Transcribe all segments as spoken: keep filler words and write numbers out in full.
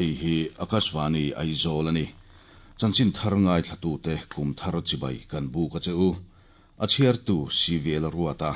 Hei hi Akashvani Aizawl ani. Chanchin thar ngai thlatu te kum thar chibai kan bu ka che u. A chhiar tu C V L Ruata.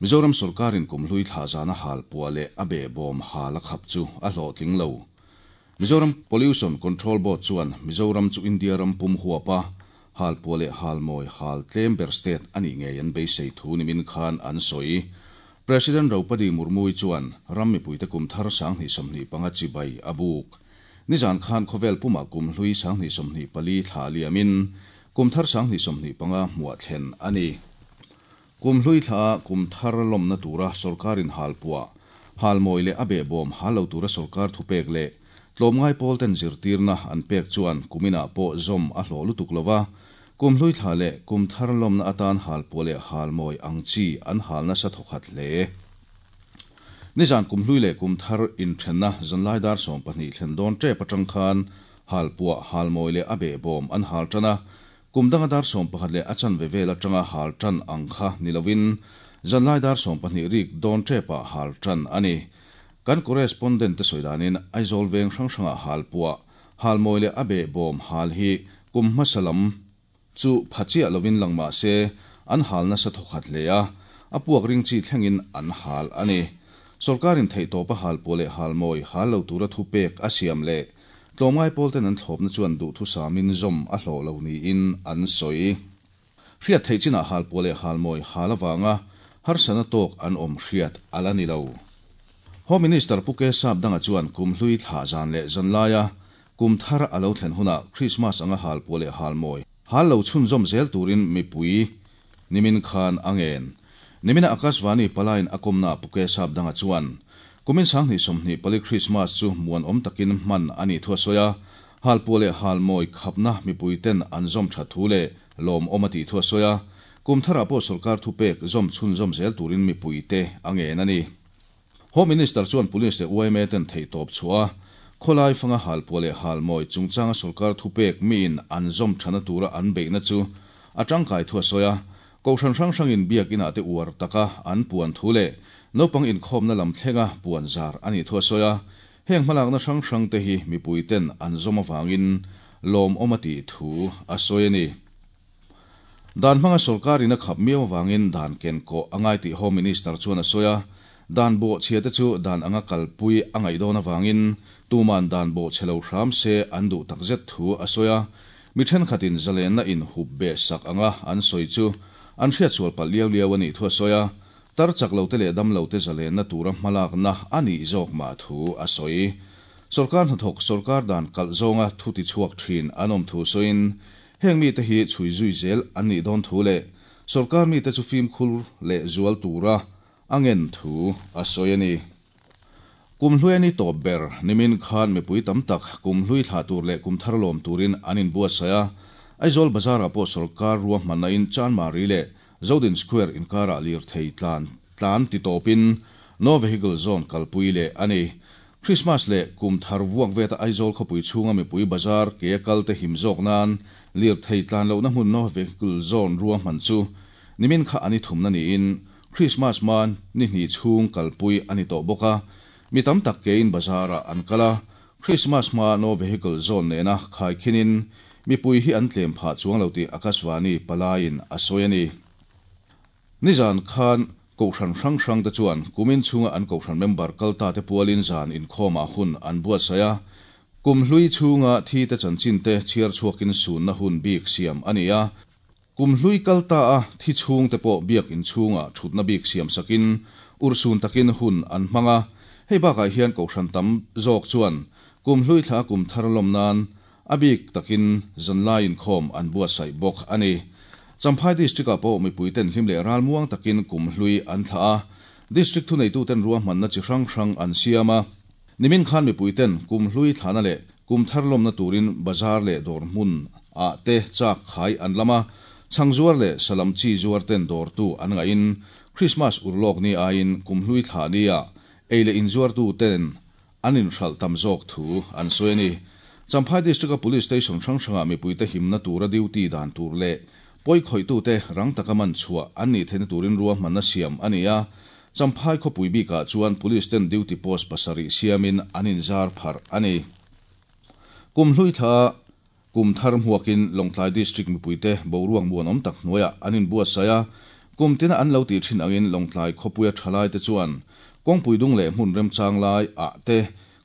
Mizoram sorkarin kum hlui thla zana hal pua leh a be bawm hal a khap chu a hlawhtling lo. Mizoram Pollution Control Board chuan Mizoram chu India ram pum huapa hal pua leh hal mawi hal tlem ber state ani ngei an beisei thu nimin khan an sawi. President Draupadi Murmu chuan ram mipuite kum thar sanghnih sawmhnih panga chibai a buk. Nizan khan khawvel puma kum hlui sanghnih sawmhnih pali thla liamin kum thar sanghnih sawmhnih panga hmuah thlen ani. Kum hlui thla kum thar lawmna tura sorkarin hal pua hal mawi leh a be bawm hal lo tura sorkar thupek leh tlawmngai pawl ten zirtirna an pek chuan kumina pawh zawm a hlawh lutuk lova, kum hlui thla leh kum thar lawmna atan hal pua leh hal mawi ang chi an halna sa thawkhat hle. Nizan kum hlui leh kum thar inthenna zanlai dar sawm pahnih thlen dawn tep atang khan hal pua hal mawi leh a be bawm an hal tana, kum danga dar sawm pakhat leh a chan ve vel atanga hal tan ang kha nilovin zanlai dar sawm pahnih rik dawn tepa hal tan ani. Kan correspondent te sawidanin Aizawl veng hrang hranga hal pua hal mawi leh a be bawm hal hi kum hmasalam chu phachia lovin langma se an halna sa thawkhat hle a, a puak ring chi thlengin an hal ani. Sorkarin theitawpa hal pua leh hal mawi hal lo tura thu pek a siam leh tlawmngai pawl ten an thlawpna chuan duh thu samin zawm a hlawh lo niin an sawi. Hriat theih chinah hal pua leh hal mawi hal awanga harsana tawk an awm hriat ala ni lo. Home Minister Puke Sap danga chuan kum hlui thla zan leh zanlaia kum thar alo thlen huna Christmas anga hal pua leh hal mawi hal lo chhun zawm zel turin mipui nimin khan angen. Nimina Akashvani palain akomna Puke Sap danga chuan kumin sanghnih sawmhnih pali Christmas chu muan awm takin hman ani thua soya, hal pua leh hal mawi khapna mipui ten an zawm tha thu leh lawm awm a tih thua soya, kum thara pawh sorkar thu pek zawm chhun zawm zel turin mipui te angen ani. Home Minister chuan police leh U M A ten theitawp chhuah khawlai fanga hal pua leh hal mawi chungchanga sorkar thu pek miin an zawm thana tura an beihna chu a tangkai thua soya, kohhran hrang hrangin biak inah te uar taka an puan thu leh naupang inkhawmna lam thlenga puan zar ani thua soya, heng hmalakna hrang hrang te hi mipui ten an zawm awangin lawm awm a tih thu a sawi ani. Dan hmanga sorkarin a khap miau awangin dan ken kawh angai tih Home Minister chuan a sawi a, dan bo chhia te chu dan anga kalpui angai dawn awangin tuman dan bo chhelo hram se an duh takzet thu a sawi a, mi thenkhatin zalenna in hup be sak anga an sawi chu an hriat sual palh liau liau ani thu a sawi a, tar chak lo te leh dam lo te zalenna tura hmalakna ani zawk ma thu a sawi. Sorkar hnathawk sorkar dan kalh zawnga thu ti chhuak thin an awm thu sawiin heng mi te hi chhui zui zel an nih dawn thu leh sorkar mi te chu fimkhur leh zual tura angen thu a sawi ani. Kum hlui ani tawp ber nimin khan mipui tam tak kum hlui thla tur leh kum thar lawm turin an in buatsaih a, Aizawl bazar ah pawh sorkar ruahmanna in Chanmari leh Zodin Square inkara lir thei tlan tlan ti tawpin no vehicle zone kalpui leh ani. Christmas leh kum thar vuak veta Aizawl khawpui chhunga mipui bazar ke kal te him zawk nan lir thei tlan lohna hmun no vehicle zone ruahman chu nimin kha ani thumna niin Christmas man ni hnih chhung kalpui ani tawh bawk a, mi tam tak ke in bazar ah an kala Christmas hma no vehicle zone nena khai khinin mipui hi an tlem phah chuang lo tih Akashvani palain a sawi ani. Nizan khan kohhran hrang hrang te chuan kumin chhunga an kohhran member kalta te pualin zan inkhawmah hun an buatsaih a, kum hlui chhunga thi te chanchin te chhiar chhuakin sunna hun bik siam ani a, kum hlui kalta a thi chhung te pawh biak in chhunga thutna bik siam sakin ursun takin hun an hmanga, hei bakah hian kohhran tam zawk chuan kum hlui thla kum thar lawm nan a bik takin zanlai inkhawm an buatsaih bawk ani. Champhai district ah pawh mipui ten hlim leh ral muang takin kum hlui an thla a, district thuneitu ten ruahmanna chi hrang hrang an siam a, nimin khan mipui ten kum hlui thlana leh kum thar lawmna turin bazar leh dawr hmun ah te chak khai an lama, chhang zuar leh salam chi zuar ten dawr tu an ngain Christmas urlawk ni aiin kum hlui thla ni a ei leh in zuar tu ten an in hral tam zawk thu an sawi ani. Champhai district a police station hrang hranga mipui te himna tura duty dan tur leh pawih khawih tu te rang taka man chhuah an nih theihna turin ruahmanna siam ani a, Champhai khawpui bikah chuan police ten duty post pasarih siamin an inzar pharh a ni. Kum hlui thla kum thar hmuakin Lawngtlai District mipuite boruak muanawm tak hnuaiah an inbuatsaih a, kum tina an lo tih thin angin Lawngtlai khawpuia thalaite chuan kawngpui dung leh hmun remchang lai ah te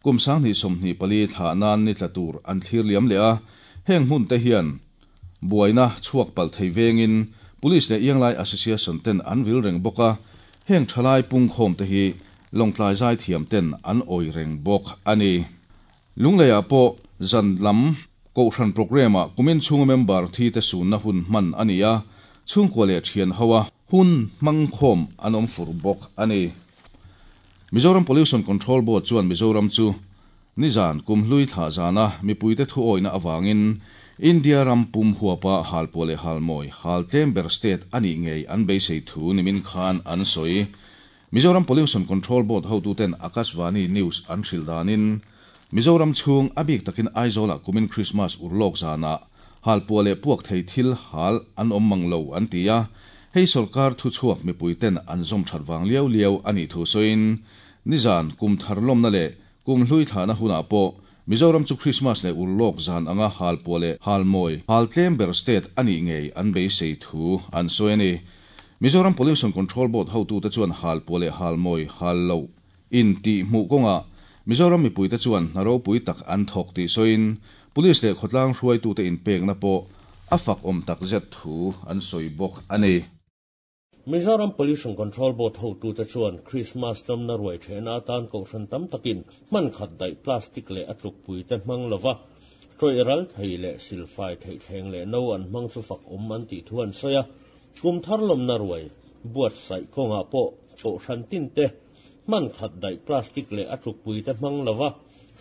kum sanghnih sawmhnih pali thlah nan ni tla tur an thlir liam leh a, heng hmun te hian buaina chhuak palh thei vengin Police leh Ianglai Association ten an vil reng bawk a, heng thalai pungkhawm te hi Lawngtlai zaithiam ten an awi reng bawk a ni. Lungleiah pawh zan lam kohhran programme ah kumin chhunga member thi te sunna hun hman a ni a, chhungkua leh thian ho a hun hmang khawm an awm fur bawk a ni. Mizoram Pollution Control Board chuan Mizoram chu nizan kum hlui thlah zana mipuite thu awihna avangin India ram pum huapa halpuah leh halmawi hal tlem ber state a nih ngei an beisei thu nimin khan an sawi. Mizoram Pollution Control Board hotuten Akashvani News an hrilh danin Mizoram chhung a bik takin Aizawlah kumin Christmas urlawk zanah halpuah leh puak thei thil hal an awm mang lo an ti a, hei sorkar thu chhuak mipuiten an zawm that vang liau liau a nih thu sawiin nizan kum thar lawmna leh kum hlui thlahna hunah pawh Mizoram chu Christmas leh urlawk zan anga halpuah leh halmawi hal tlem ber state a nih ngei an beisei thu an sawi a ni. Mizoram Pollution Control Board hotute chuan halpuah leh halmawi hal lo in tih hmuh kawngah Mizoram mipuite chuan hna ropui tak an thawk tih sawiin police leh khawtlang hruaitute inpekna pawh a fak awm tak zet thu an sawi bawk a ni. Mizoram Pollution Control Board hotute chuan Christmas lawmna ruai thehna atan kohhran tam takin hman khat daih plastic leh a tlukpuite hmang lova tawih ral thei leh silfai theih thleng leh no an hmang chu fak awm an tih thu an sawi a, kum thar lawmna ruai buatsaih kawngah pawh kohhran tin te hman khat daih plastic leh a tlukpuite hmang lova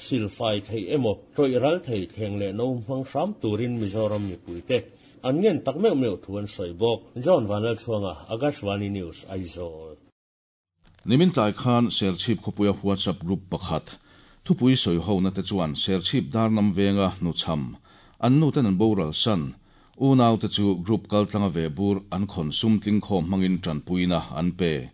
silfai thei emaw tawih ral thei thleng leh no hmang hram turin Mizoram mipuite an ngen tak meuh meuh thu an sawi bawk. John Vanlalchhuanga, Akashvani News, Aizawl. Nimin tlai khan Serchhip khawpuia WhatsApp group pakhat thupui sawi hona te chuan Serchhip darnam venga hnuchham an nu ten an boral san unau te chu group kaltlanga ve bur an khon sum tling khawm hmangin tanpuina an pe.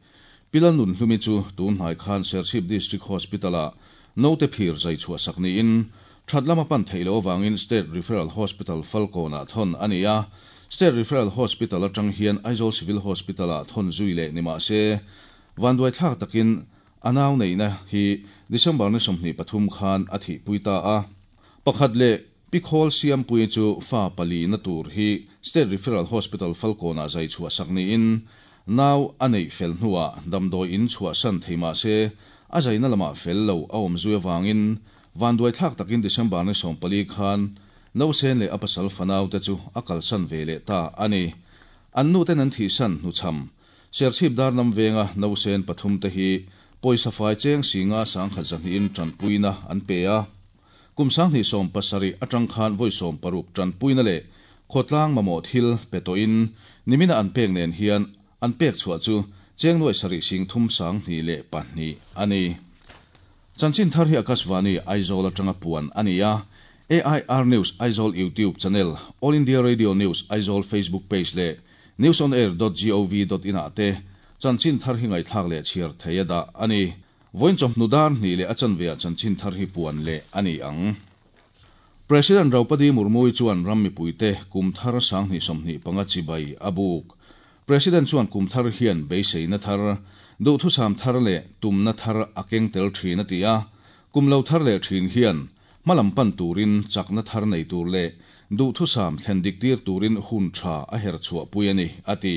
Pilan nun hlumi chu tun hnai khan Serchhip District Hospital ah note phir zai chhuah sak niin thatlama pan theilo wangin State Referral Hospital Falkona thon ani a, State Referral Hospital atang hian Aizawl Civil Hospital ah thon zui leh nima se vanduai thlak takin anau neina hi December ni sawmhnih pathum khan a thi puita a, pakhat leh pikhawl siam pui chu fa pali na tur hi State Referral Hospital Falkona zai chhuah sak niin nau a nei fel hnuah damdawi in chhuah san theima se a zaina lama fel lo a awm zui awangin vanduai thlak takin December ni sawm pali khan no sen leh a pasal fanau te chu a kalsan ve leh ta ani. An nu ten an thi san hnuchham Serchhip darnam venga no sen pathum te hi pawisa fai cheng singa sangkhat zahniin tanpuina an pe a, kum sanghnih sawm pasarih atang khan vawi sawm paruk tanpuina leh khawtlang mamawh thil pe tawhin nimina an pek nen hian an pek chhuah chu cheng nuai sarih sing thum sanghnih leh pahnih ani. Chanchin thar hi Akashvani Aizawl atanga puan ani a, A I R News Aizawl YouTube channel, All India Radio News Aizawl Facebook page leh newsonair dot gov dot in ah te chanchin thar hi ngaihthlak leh chhiar thei a dah ani. Vawiin chawhnu dar hnih leh a chanve ah chanchin thar hi puan leh ani ang. President Draupadi Murmu chuan ram mipuite kum thar sanghnih sawmhnih panga chibai a buk. President chuan kum thar hian beiseina thar duhthusam thar leh tumna thar a keng tel thin a ti a, kum lo thar leh thin hian hmalam pan turin chakna thar nei tur leh duhthusam thlen dik tir turin hun tha a her chhuah pui ani a ti.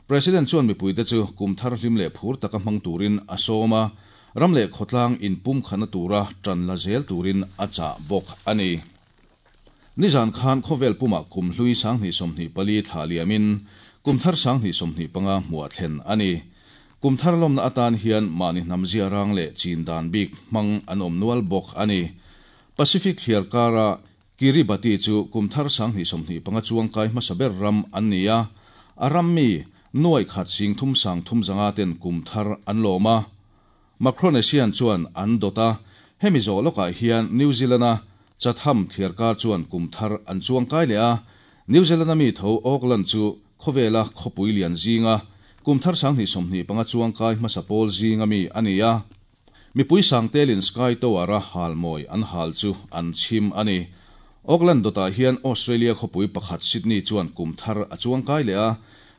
President chuan mipuite chu kum thar hlim leh phur taka hmang turin a sawm a, ram leh khawtlang in pum khana tura tan la zel turin a chah bawk ani. Nizan khan khawvel puma kum hlui sanghnih sawmhnih pali thla liamin kum thar sanghnih sawmhnih panga hmuah thlen ani. Kum thar lawmna atan hian mahni hnam zia rang leh chin dan bik hmang an awm nual bawk ani. Pacific thliar kara Kiribati chu kum thar sanghnih sawmhnih panga chuang kai hmasa ber ram an ni a, a ram mi nuai khat sing thum sang thum zanga ten kum thar an lawm a. Micronesian chuan an dawt a, hemi zawh lawkah hian New Zealand-a Chatham thliar kar chuan kum thar an chuang kai leh a, New Zealand-a mi tho Auckland chu khawvela khawpui lian zinga Kum thar sang ni somni panga chuang kai hmasa pawl zinga mi ania. Mi pui sang telin Sky Tower a hal moi an hal chu an chim ani. Auckland dota hian Australia khopui pakhat Sydney chuan kum thar a chuang kai le a.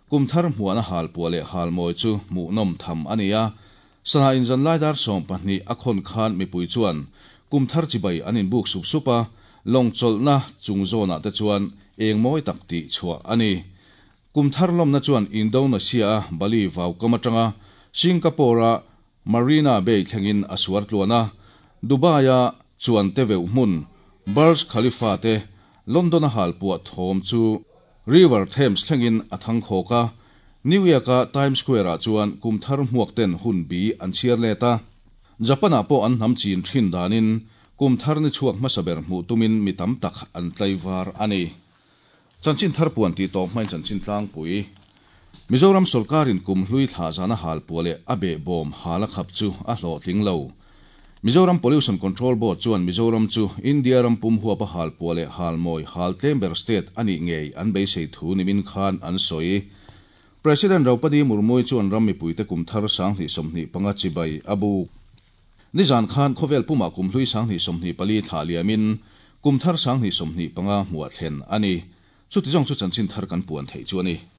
Kum thar hmuana hal puale hal moi chu mu nom tham ania. Sana in zan laidar som pahnih a khon khan mi pui chuan kum thar chibai anin buk sup supa long cholna chung zona te chuan eng moi tak ti chua ani. Kum thar lom na chuan Indonesia Bali vau kamatanga Singapore Marina Bay thlengin asuar tluana Dubai a chuan te veu hmun Burj Khalifa te London a hal puat thom chu River Thames thlengin athang khoka New York a Times Square a chuan kum thar hmuak ten hun bi an chiar leta Japan a po an nam chin thin danin kum thar ni chuak masaber mu tumin mi tam tak an tlaiwar ani. Chanchin thar puan ti to mai chanchin tlang pui Mizoram sarkarin kum hlui thla zana hal puale abe bom hala khap chu a hlo tling lo. Mizoram Pollution Control Board chuan Mizoram chu India ram pum huwa pa hal puale hal moi hal tlember state ani ngei an beisei thu nimin khan an soi. President Draupadi Murmu chuan ram mi puite kum thar sang ni somni panga chibai abu. Nizan khan khovel puma kum hlui sang ni somni pali thla liamin kum thar sang ni somni panga hmuwa thlen ani. Chu ti jong chu chanchin thar kan puan thei chu ani.